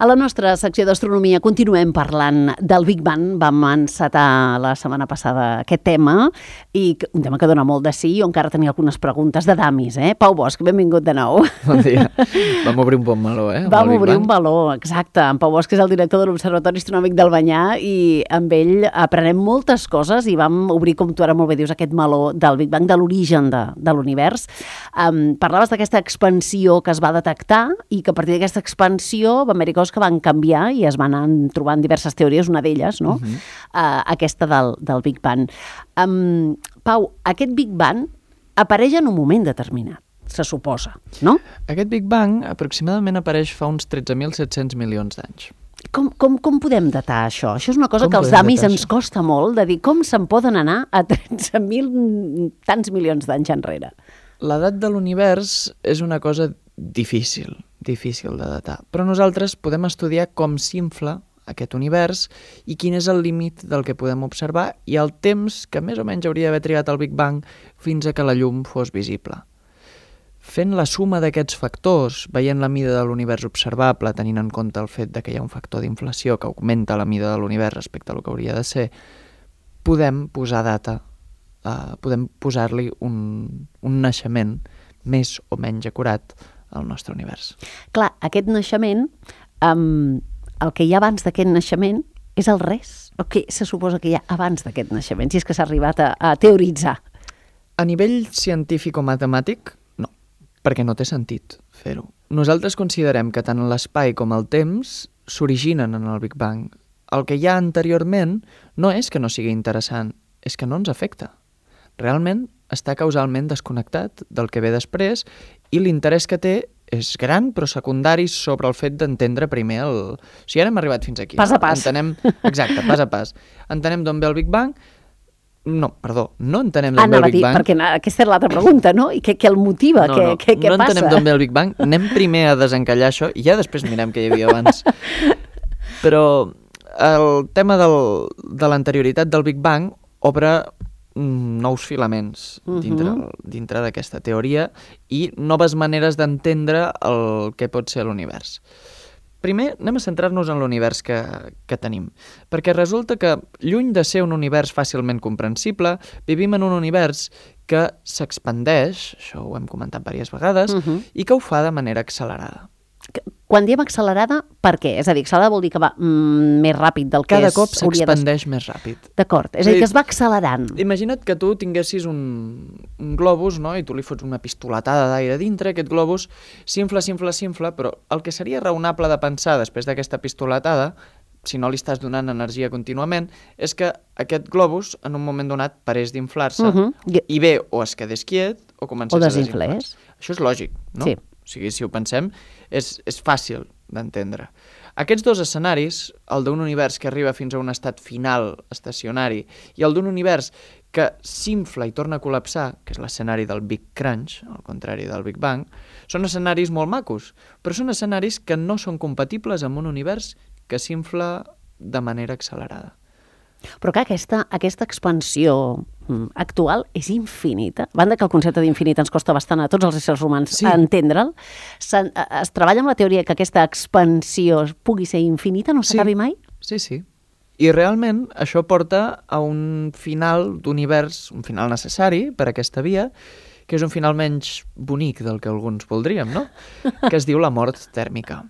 A la nostra secció d'astronomia continuem parlant del Big Bang. Vam encetar la setmana passada aquest tema, i un tema que dona molt de sí. Jo encara tenia algunes preguntes de damis, Pau Bosch, benvingut de nou. Bon dia. Vam obrir un bon meló, Vam obrir un meló, exacte. En Pau Bosch és el director de l'Observatori Astronòmic d'Albanyà i amb ell aprenem moltes coses i vam obrir, com tu ara molt bé dius, aquest meló del Big Bang, de l'origen de l'univers. Parlaves d'aquesta expansió que es va detectar i que a partir d'aquesta expansió van haver-hi coses que van canviar i es van anar trobant diverses teories, una d'elles, no? Aquesta del Big Bang. Pau, aquest Big Bang apareix en un moment determinat, se suposa, no? Aquest Big Bang aproximadament apareix fa uns 13.700 milions d'anys. Com podem datar això? Això és una cosa que als damis ens costa molt, de dir com se'n poden anar a 13.000 tants milions d'anys enrere. L'edat de l'univers és una cosa difícil de datar, però nosaltres podem estudiar com s'infla aquest univers i quin és el límit del que podem observar i el temps que més o menys hauria d'haver trigat el Big Bang fins a que la llum fos visible. Fent la suma d'aquests factors, veient la mida de l'univers observable, tenint en compte el fet que hi ha un factor d'inflació que augmenta la mida de l'univers respecte al que hauria de ser, podem posar data, podem posar-li un naixement més o menys acurat al nostre univers. Clar, aquest naixement, el que hi ha abans d'aquest naixement és el res. O què se suposa que hi ha abans d'aquest naixement, si és que s'ha arribat a teoritzar? A nivell científic o matemàtic, no, perquè no té sentit fer-ho. Nosaltres considerem que tant l'espai com el temps s'originen en el Big Bang. El que hi ha anteriorment no és que no sigui interessant, és que no ens afecta. Realment està causalment desconnectat del que ve després i l'interès que té és gran, però secundari sobre el fet d'entendre primer el... O sigui, ara hem arribat fins aquí. Pas a pas. Exacte, pas a pas. Entenem d'on ve el Big Bang? No entenem d'on ve el Big Bang. Perquè aquesta era l'altra pregunta, no? I què el motiva? Què passa? No entenem d'on ve el Big Bang. Anem primer a desencallar això i ja després mirem què hi havia abans. Però el tema de l'anterioritat del Big Bang obre nous filaments dintre d'aquesta teoria i noves maneres d'entendre el que pot ser l'univers. Primer, anem a centrar-nos en l'univers que tenim, perquè resulta que, lluny de ser un univers fàcilment comprensible, vivim en un univers que s'expandeix, això ho hem comentat diverses vegades, i que ho fa de manera accelerada. Quan diem accelerada, per què? És a dir, accelerada vol dir que va més ràpid del que cada cop s'expandeix més ràpid. D'acord, és a dir, que es va accelerant. Imagina't que tu tinguessis un globus, no? I tu li fots una pistoletada d'aire dintre, aquest globus s'infla, però el que seria raonable de pensar després d'aquesta pistoletada, si no li estàs donant energia contínuament, és que aquest globus, en un moment donat, parés d'inflar-se i bé o es quedés quiet o comencés a desinflar. Això és lògic, no? Sí. O sigui, si ho pensem, és fàcil d'entendre. Aquests dos escenaris, el d'un univers que arriba fins a un estat final estacionari i el d'un univers que s'infla i torna a col·lapsar, que és l'escenari del Big Crunch, al contrari del Big Bang, són escenaris molt macos, però són escenaris que no són compatibles amb un univers que s'infla de manera accelerada. Però clar, aquesta expansió actual és infinita. A banda que el concepte d'infinit ens costa bastant a tots els éssers humans entendre'l, es treballa amb la teoria que aquesta expansió pugui ser infinita, no s'acabi mai? Sí. I realment això porta a un final d'univers, un final necessari per a aquesta via, que és un final menys bonic del que alguns voldríem, no? Que es diu la mort tèrmica.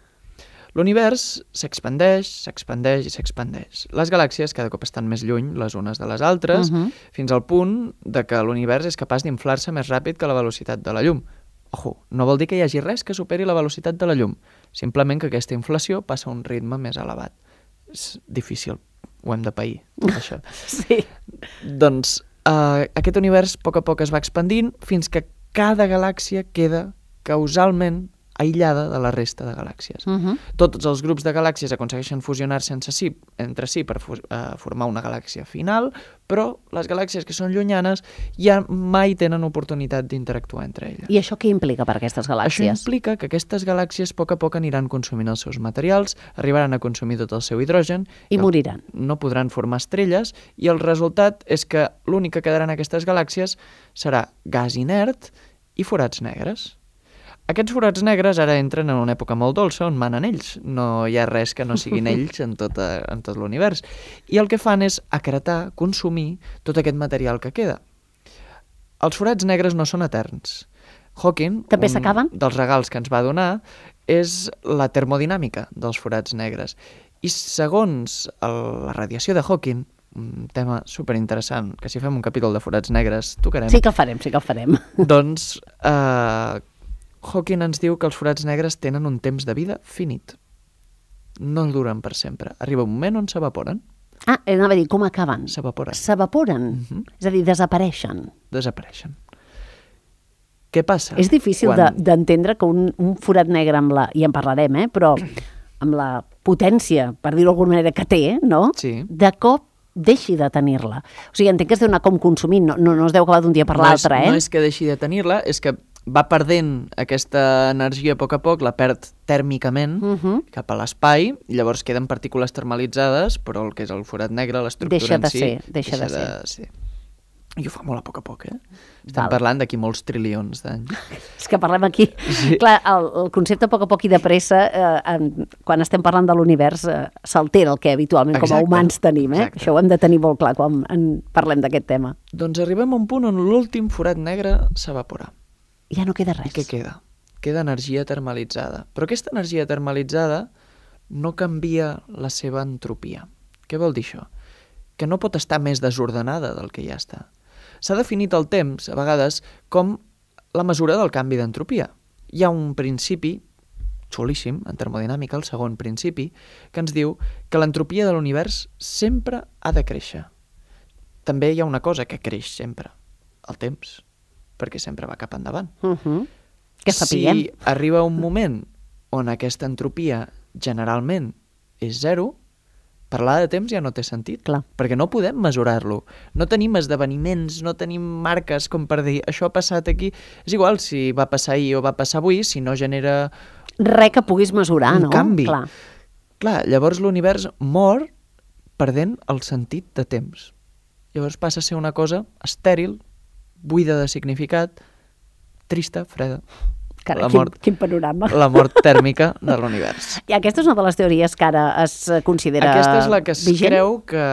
L'univers s'expandeix i s'expandeix. Les galàxies cada cop estan més lluny les unes de les altres, fins al punt de que l'univers és capaç d'inflar-se més ràpid que la velocitat de la llum. Ojo, no vol dir que hi hagi res que superi la velocitat de la llum, simplement que aquesta inflació passa a un ritme més elevat. És difícil, ho hem de pair, això. Sí. Doncs aquest univers a poc es va expandint fins que cada galàxia queda causalment aïllada de la resta de galàxies. Tots els grups de galàxies aconsegueixen fusionar-se entre si per formar una galàxia final, però les galàxies que són llunyanes ja mai tenen oportunitat d'interactuar entre elles. I això què implica per aquestes galàxies? Això implica que aquestes galàxies a poc aniran consumint els seus materials, arribaran a consumir tot el seu hidrogen i moriran. No podran formar estrelles i el resultat és que l'únic que quedarà en aquestes galàxies serà gas inert i forats negres. Aquests forats negres ara entren en una època molt dolça on manen ells. No hi ha res que no siguin ells en tot l'univers. I el que fan és acretar, consumir tot aquest material que queda. Els forats negres no són eterns. Hawking, també s'acaben? Dels regals que ens va donar, és la termodinàmica dels forats negres. I segons la radiació de Hawking, un tema superinteressant, que si fem un capítol de forats negres tocarem. Sí que el farem. Doncs Hawking ens diu que els forats negres tenen un temps de vida finit. No duren per sempre. Arriba un moment on s'evaporen. Anava a dir, com acaben? S'evaporen. És a dir, desapareixen. Què passa? És difícil d'entendre que un forat negre i en parlarem, però amb la potència, per dir-ho d'alguna manera, que té, no? Sí. De cop deixi de tenir-la. O sigui, entenc que es deu anar com consumint, no es deu acabar d'un dia per l'altre, No és que deixi de tenir-la, és que va perdent aquesta energia a poc, la perd tèrmicament cap a l'espai, i llavors queden partícules termalitzades, però el que és el forat negre, l'estructura en si... Deixa de ser. I ho fa molt a poc, Estem parlant d'aquí molts trilions d'anys. És que parlem aquí... Sí. Clar, el concepte a poc i de pressa, quan estem parlant de l'univers, s'altera el que habitualment com a humans tenim. Això ho hem de tenir molt clar quan parlem d'aquest tema. Doncs arribem a un punt on l'últim forat negre s'evapora. Ja no queda res. I què queda? Queda energia termalitzada. Però aquesta energia termalitzada no canvia la seva entropia. Què vol dir això? Que no pot estar més desordenada del que ja està. S'ha definit el temps, a vegades, com la mesura del canvi d'entropia. Hi ha un principi xulíssim, en termodinàmica, el segon principi, que ens diu que l'entropia de l'univers sempre ha de créixer. També hi ha una cosa que creix sempre, el temps, perquè sempre va cap endavant. Que sapiguem. Si arriba un moment on aquesta entropia generalment és zero, parlar de temps ja no té sentit, perquè no podem mesurar-lo. No tenim esdeveniments, no tenim marques com per dir això ha passat aquí. És igual si va passar ahir o va passar avui, si no genera... Res que puguis mesurar, no? Un canvi. Clar, llavors l'univers mor perdent el sentit de temps. Llavors passa a ser una cosa estèril, buida de significat, trista, freda. Carai, quin panorama. La mort tèrmica de l'univers. I aquesta és una de les teories que ara es considera vigent? Aquesta és la que es creu que,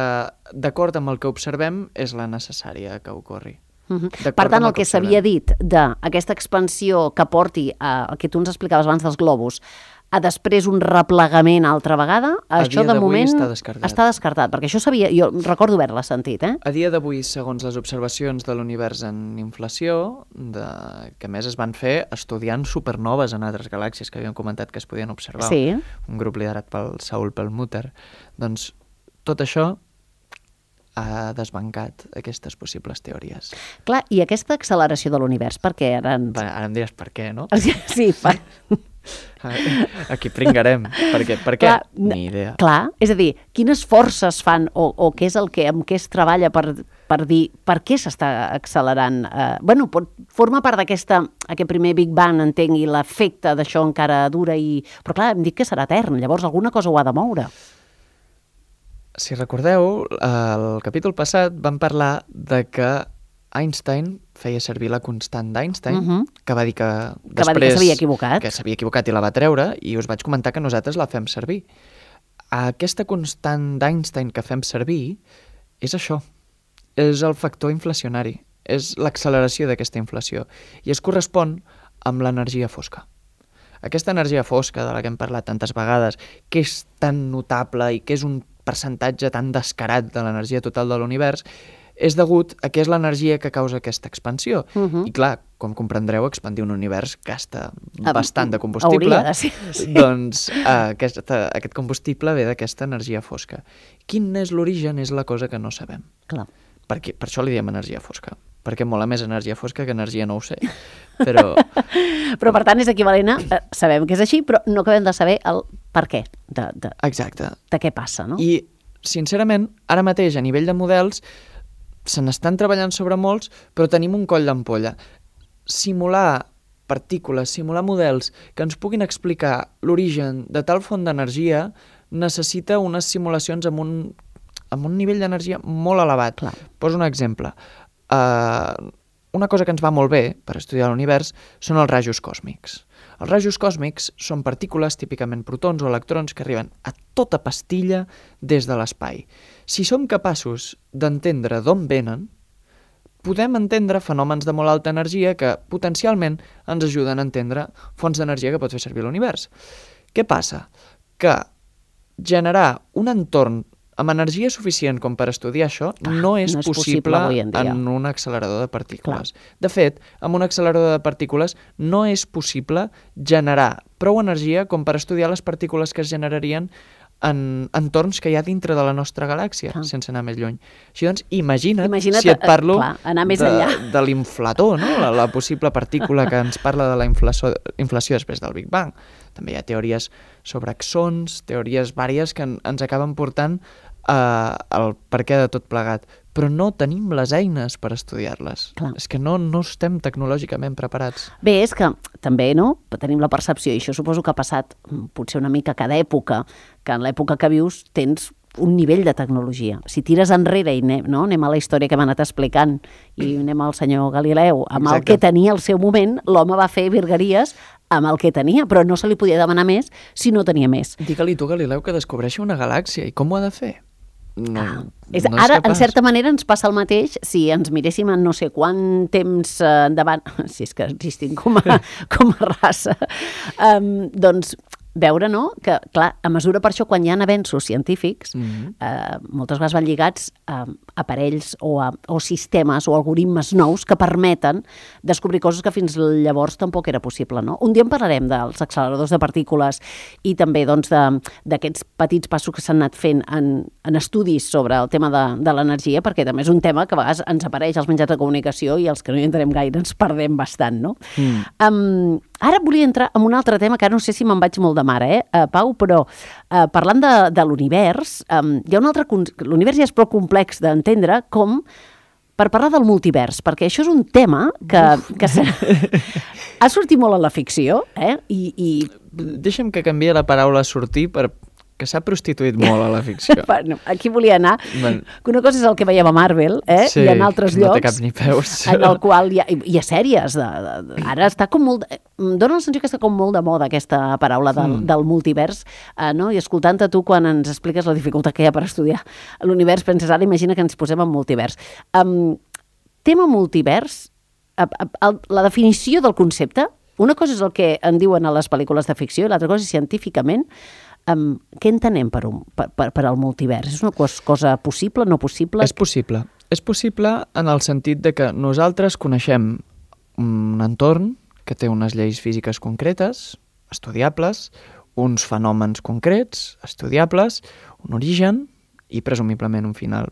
d'acord amb el que observem, és la necessària que ocorri. Per tant, el que s'havia dit d'aquesta expansió que porti el que tu ens explicaves abans dels globus, a després un replegament altra vegada, això de moment està descartat, perquè això jo recordo haver-la sentit. A dia d'avui, segons les observacions de l'univers en inflació, que a més es van fer estudiant supernoves en altres galàxies que havíem comentat que es podien observar, un grup liderat pel Saul Perlmutter, doncs tot això ha desbancat aquestes possibles teories. Clar, i aquesta acceleració de l'univers, per què? Ara em diràs per què, no? Sí, aquí pringarem. Per què? Ni idea. Clar, és a dir, quines forces fan o què és amb què es treballa per dir per què s'està accelerant? Forma part d'aquest primer Big Bang, entenc, i l'efecte d'això encara dura, però clar, hem dit que serà etern, llavors alguna cosa ho ha de moure. Si recordeu, al capítol passat vam parlar de que Einstein feia servir la constant d'Einstein, que va dir que després s'havia equivocat. Que s'havia equivocat i la va treure, i us vaig comentar que nosaltres la fem servir. Aquesta constant d'Einstein que fem servir és això, és el factor inflacionari, és l'acceleració d'aquesta inflació, i es correspon amb l'energia fosca. Aquesta energia fosca de la que hem parlat tantes vegades, que és tan notable i que és un percentatge tan descarat de l'energia total de l'univers, és degut a que és l'energia que causa aquesta expansió. I clar, com comprendreu, expandir un univers gasta bastant de combustible. Hauria de ser, sí. Doncs aquest combustible ve d'aquesta energia fosca. Quin és l'origen és la cosa que no sabem. Clar. Per això li diem energia fosca. Perquè mola més energia fosca que energia no ho sé. Però per tant és equivalent a... Sabem que és així, però no acabem de saber el per què. Exacte. De què passa, no? I, sincerament, ara mateix, a nivell de models, se n'estan treballant sobre molts, però tenim un coll d'ampolla. Simular partícules, simular models que ens puguin explicar l'origen de tal font d'energia necessita unes simulacions amb un nivell d'energia molt elevat. Clar. Poso un exemple. una cosa que ens va molt bé per estudiar l'univers són els rajos còsmics. Els rajos còsmics són partícules, típicament protons o electrons, que arriben a tota pastilla des de l'espai. Si som capaços d'entendre d'on venen, podem entendre fenòmens de molt alta energia que potencialment ens ajuden a entendre fonts d'energia que pot fer servir l'univers. Què passa? Que generar un entorn amb energia suficient com per estudiar això no és possible en un accelerador de partícules. De fet, amb un accelerador de partícules no és possible generar prou energia com per estudiar les partícules que es generarien en entorns que hi ha dintre de la nostra galàxia, sense anar més lluny. Així doncs, imagina't si et parlo de l'inflator, no? la possible partícula que ens parla de la inflació després del Big Bang. També hi ha teories sobre axons, teories vàries que ens acaben portant al perquè de tot plegat, però no tenim les eines per estudiar-les. És que no estem tecnològicament preparats. Bé, és que també tenim la percepció, i això suposo que ha passat potser una mica a cada època, que en l'època que vius tens un nivell de tecnologia. Si tires enrere i anem a la història que hem anat explicant i anem al senyor Galileu, amb el que tenia al seu moment, l'home va fer virgueries amb el que tenia, però no se li podia demanar més si no tenia més. Digue-li tu, Galileu, que descobreixi una galàxia, i com ho ha de fer? Ara, en certa manera, ens passa el mateix si ens miréssim en no sé quant temps endavant, si és que existim com a raça, doncs veure, que, clar, a mesura per això, quan hi ha avenços científics, moltes vegades van lligats a aparells o sistemes o algoritmes nous que permeten descobrir coses que fins llavors tampoc era possible, no? Un dia en parlarem dels acceleradors de partícules i també d'aquests petits passos que s'han anat fent en estudis sobre el tema de l'energia, perquè també és un tema que a vegades ens apareix als mitjans de comunicació i els que no hi entenem gaire ens perdem bastant, no? Ara volia entrar en un altre tema que ara no sé si me'n vaig molt de mare, Pau, però parlant de l'univers, hi ha un altre... L'univers ja és prou complex d'entendre com per parlar del multivers, perquè això és un tema que ha sortit molt a la ficció, i... Deixa'm que canviï la paraula sortir que s'ha prostituït molt a la ficció. Bueno, aquí volia anar. Que una cosa és el que veiem a Marvel, sí, i en altres llocs, no té cap ni peus, en el qual hi ha sèries. Ara està com molt... Dóna la sensació que està com molt de moda aquesta paraula del multivers, no? I escoltant-te tu quan ens expliques la dificultat que hi ha per estudiar l'univers, penses, ara imagina que ens posem en multivers. Tema multivers, la definició del concepte, una cosa és el que en diuen a les pel·lícules de ficció i l'altra cosa és científicament. Què entenem per al multivers? És una cosa possible, no possible? És possible. És possible en el sentit de que nosaltres coneixem un entorn que té unes lleis físiques concretes, estudiables, uns fenòmens concrets, estudiables, un origen i presumiblement un final.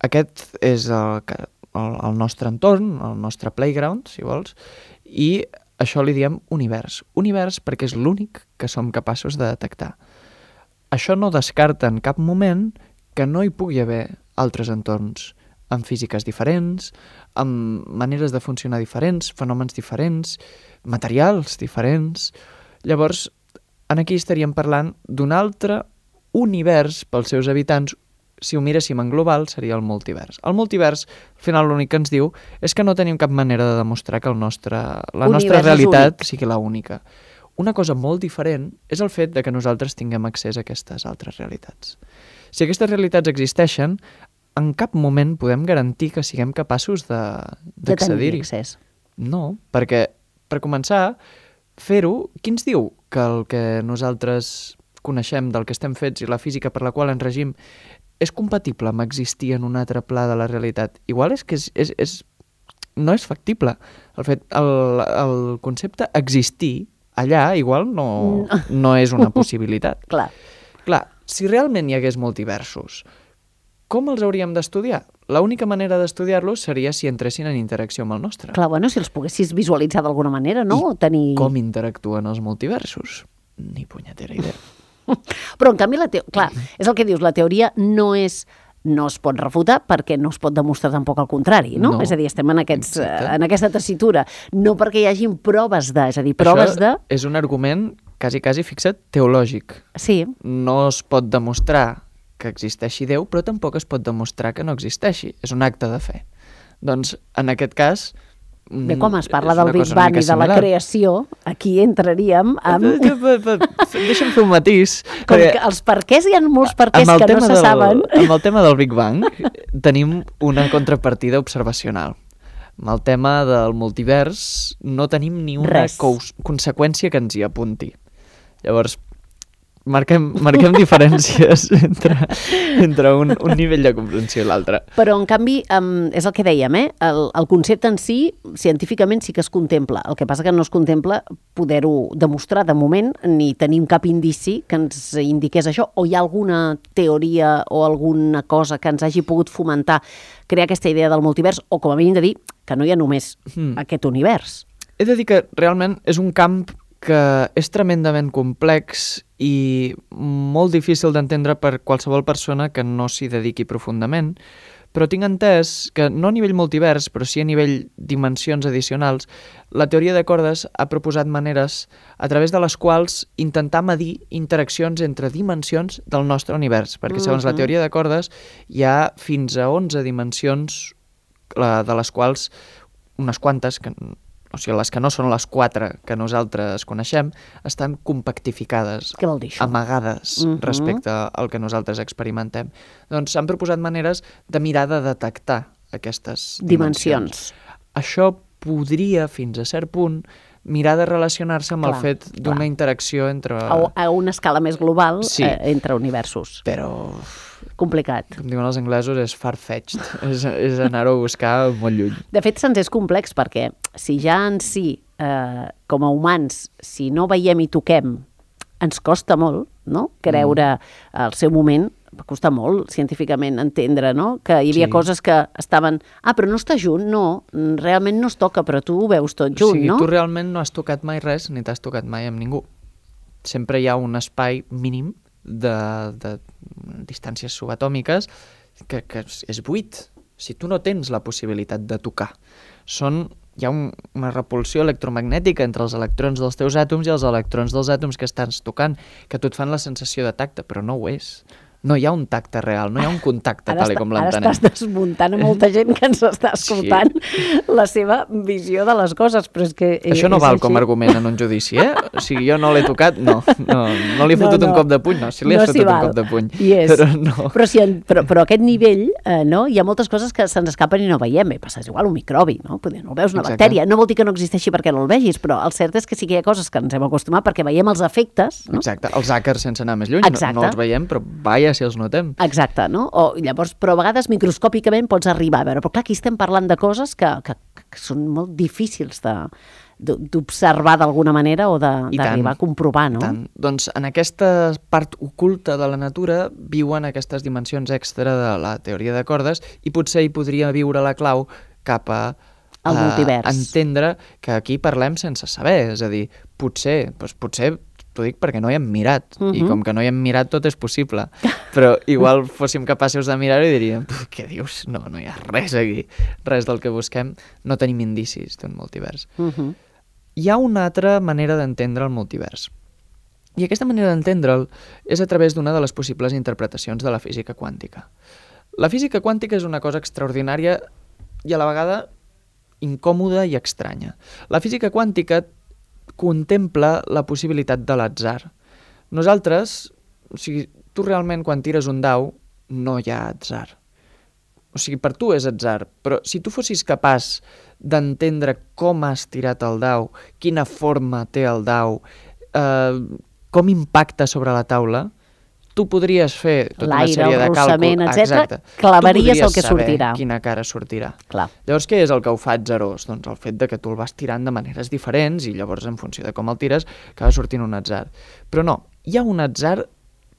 Aquest és el nostre entorn, el nostre playground, si vols, i això li diem univers. Univers perquè és l'únic que som capaços de detectar. Això no descarta en cap moment que no hi pugui haver altres entorns, amb físiques diferents, amb maneres de funcionar diferents, fenòmens diferents, materials diferents. Llavors, aquí estaríem parlant d'un altre univers pels seus habitants. Si ho miréssim en global, seria el multivers. El multivers, al final, l'únic que ens diu és que no tenim cap manera de demostrar que la nostra realitat sigui la única. Una cosa molt diferent és el fet de que nosaltres tinguem accés a aquestes altres realitats. Si aquestes realitats existeixen, en cap moment podem garantir que siguem capaços d'accedir-hi. No, perquè, per començar, fer-ho, qui ens diu que el que nosaltres coneixem del que estem fets i la física per la qual ens regim és compatible amb existir en un altre pla de la realitat? Igual és que no és factible. El concepte existir allà igual no és una possibilitat. Clar, si realment hi hagués multiversos, com els hauríem d'estudiar? L'única manera d'estudiar-los seria si entressin en interacció amb el nostre. Clar, bueno, si els poguessis visualitzar d'alguna manera, no? Com interactuen els multiversos? Ni punyetera idea. Però, en canvi, clar, és el que dius, la teoria no es pot refutar perquè no es pot demostrar tampoc el contrari, no? És a dir, estem en aquesta tessitura. No perquè hi hagin proves és a dir, proves Això és un argument quasi fixat teològic. Sí. No es pot demostrar que existeixi Déu, però tampoc es pot demostrar que no existeixi. És un acte de fe. Doncs, en aquest cas... Bé, com es parla del Big Bang i de la creació, aquí entraríem amb... Deixa'm fer un matís. Com que els perquès, hi ha molts perquès que no se saben. Amb el tema del Big Bang tenim una contrapartida observacional. Amb el tema del multivers no tenim ni una conseqüència que ens hi apunti. Llavors, marquem diferències entre un nivell de comprensió i l'altre. Però, en canvi, és el que dèiem, el concepte en si, científicament sí que es contempla. El que passa que no es contempla poder-ho demostrar de moment, ni tenim cap indici que ens indiqués això, o hi ha alguna teoria o alguna cosa que ens hagi pogut fomentar crear aquesta idea del multivers, o com a mínim de dir que no hi ha només aquest univers. He de dir que realment és un camp que és tremendament complex i molt difícil d'entendre per qualsevol persona que no s'hi dediqui profundament, però tinc entès que no a nivell multivers, però sí a nivell dimensions addicionals, la teoria de cordes ha proposat maneres a través de les quals intentar medir interaccions entre dimensions del nostre univers, perquè segons la teoria de cordes hi ha fins a 11 dimensions, de les quals unes quantes, o sigui, les que no són les 4 que nosaltres coneixem, estan compactificades, què vol dir això? Amagades respecte al que nosaltres experimentem. Doncs s'han proposat maneres de mirar de detectar aquestes dimensions. Això podria, fins a cert punt, mirar de relacionar-se amb el fet d'una interacció entre... A una escala més global entre universos. Però... complicat. Com diuen els anglesos, és far-fetched. és anar-ho a buscar molt lluny. De fet, se'ns és complex perquè si ja en si, com a humans, si no veiem i toquem, ens costa molt, no?, creure al seu moment, va costar molt científicament entendre, no?, que hi havia coses que estaven... però no està junt, no, realment no es toca, però tu ho veus tot junt, no? O sigui, tu realment no has tocat mai res, ni t'has tocat mai amb ningú. Sempre hi ha un espai mínim de distàncies subatòmiques que és buit. Si tu no tens la possibilitat de tocar. Hi ha una repulsió electromagnètica entre els electrons dels teus àtoms i els electrons dels àtoms que estàs tocant, que tu et fan la sensació de tacte, però no ho és. No hi ha un tacte real, no hi ha un contacte tal com l'entenem. Ara estàs desmuntant a molta gent que ens està escoltant la seva visió de les coses, però és que... Això no val com a argument en un judici, O sigui, jo no l'he tocat, no li he fotut un cop de puny, no, si li has fotut un cop de puny, però no. Però a aquest nivell, no, hi ha moltes coses que se'ns escapen i no veiem, passa igual un microbi, no? No veus una bactèria, no vol dir que no existeixi perquè no el vegis, però el cert és que sí que hi ha coses que ens hem acostumat perquè veiem els efectes, no? Exacte, els àcars sense anar més lluny, no els veiem, però vaja si els notem. Exacte, no? Però a vegades microscòpicament pots arribar a veure, però clar, aquí estem parlant de coses que són molt difícils d'observar d'alguna manera o d'arribar a comprovar, no? Doncs en aquesta part oculta de la natura viuen aquestes dimensions extra de la teoria de cordes i potser hi podria viure la clau cap a el multivers. Entendre que aquí parlem sense saber, és a dir, potser t'ho dic perquè no hi hem mirat, i com que no hi hem mirat tot és possible, però igual fóssim capaços de mirar-ho i diríem, què dius? No hi ha res aquí, res del que busquem, no tenim indicis d'un multivers. Hi ha una altra manera d'entendre el multivers, i aquesta manera d'entendre'l és a través d'una de les possibles interpretacions de la física quàntica. La física quàntica és una cosa extraordinària i a la vegada incòmoda i estranya. La física quàntica contempla la possibilitat de l'atzar. Nosaltres, o sigui, tu realment quan tires un dau no hi ha atzar. O sigui, per tu és atzar, però si tu fossis capaç d'entendre com has tirat el dau, quina forma té el dau, com impacta sobre la taula, tu podries fer tota una sèrie de càlculs, etcètera, clavaries el que sortirà. Tu podries saber quina cara sortirà. Clar. Llavors, què és el que ho fa atzarós? Doncs el fet de que tu el vas tirant de maneres diferents i llavors, en funció de com el tires, acaba sortint un atzar. Però no, hi ha un atzar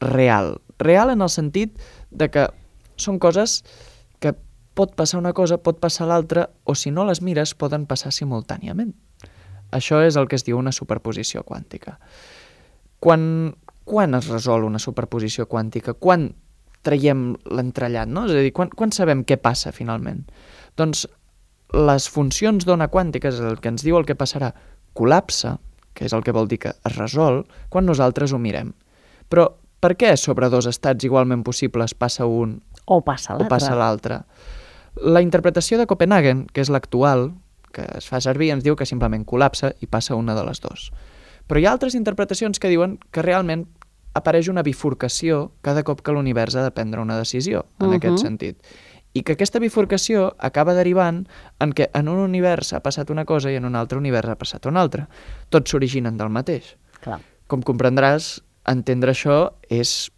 real. Real en el sentit de que són coses que pot passar una cosa, pot passar l'altra, o si no les mires, poden passar simultàniament. Això és el que es diu una superposició quàntica. Quan es resol una superposició quàntica? Quan traiem l'entrellat, no? És a dir, quan sabem què passa finalment? Doncs les funcions d'ona quàntica, és el que ens diu el que passarà, col·lapsa, que és el que vol dir que es resol, quan nosaltres ho mirem. Però per què sobre dos estats igualment possibles passa un o passa l'altre? La interpretació de Copenhagen, que és l'actual, que es fa servir, ens diu que simplement col·lapsa i passa una de les dues. Però hi ha altres interpretacions que diuen que realment apareix una bifurcació cada cop que l'univers ha de prendre una decisió, en aquest sentit. I que aquesta bifurcació acaba derivant en què en un univers ha passat una cosa i en un altre univers ha passat una altra. Tots s'originen del mateix. Clar. Com comprendràs, entendre això és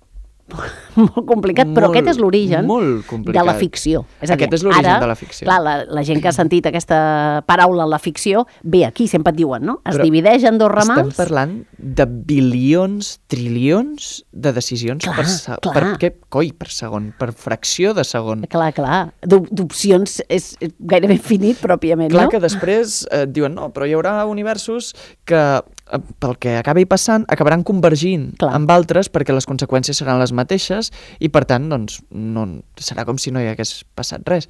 molt complicat, però aquest és l'origen de la ficció. És a dir, aquest és l'origen de la ficció. Clar, la gent que ha sentit aquesta paraula en la ficció, ve aquí, sempre et diuen, no? Es divideix en dos ramals. Estem parlant de bilions, trilions de decisions per segon, per fracció de segon. Clar. D'opcions és gairebé infinit, pròpiament, Clar no? que després diuen, no, però hi haurà universos que pel que acabi passant, acabaran convergint amb altres perquè les conseqüències seran les mateixes i, per tant, doncs, no, serà com si no hi hagués passat res.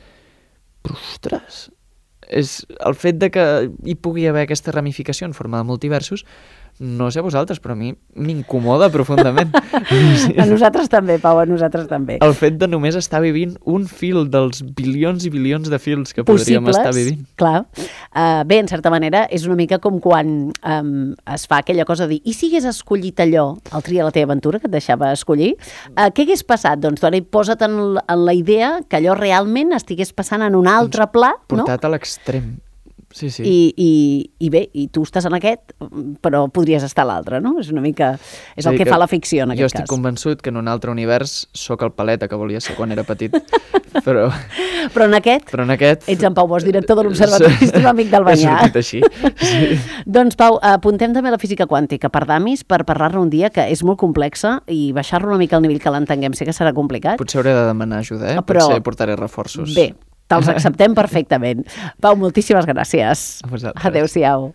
Però, ostres, és el fet de que hi pugui haver aquesta ramificació en forma de multiversos, no sé a vosaltres, però a mi m'incomoda profundament. A nosaltres també, Pau, a nosaltres també. El fet de només estar vivint un fil dels bilions i bilions de fils que podríem estar vivint. Clar. Bé, en certa manera, és una mica com quan es fa aquella cosa de dir, i si hagués escollit allò, el Tria la teva aventura, que et deixava escollir, què hagués passat? Doncs tu ara posa't en la idea que allò realment estigués passant en un altre pla, no? Portat a l'extrem. Sí. I bé, i tu estàs en aquest, però podries estar a l'altre, no? És una mica... És el que fa la ficció, en aquest cas. Jo estic convençut que en un altre univers sóc el paleta que volia ser quan era petit, però en aquest ets en Pau Bosch, director de l'Observatori Astronòmic del Banyà. He sortit així, sí. Doncs, Pau, apuntem també la física quàntica per damis, per parlar-ne un dia, que és molt complexa, i baixar-lo una mica al nivell que l'entenguem. Sé que serà complicat. Potser hauré de demanar ajuda, però potser portaré reforços. Bé, te'ls acceptem perfectament. Pau, moltíssimes gràcies. A vosaltres. Adéu-siau.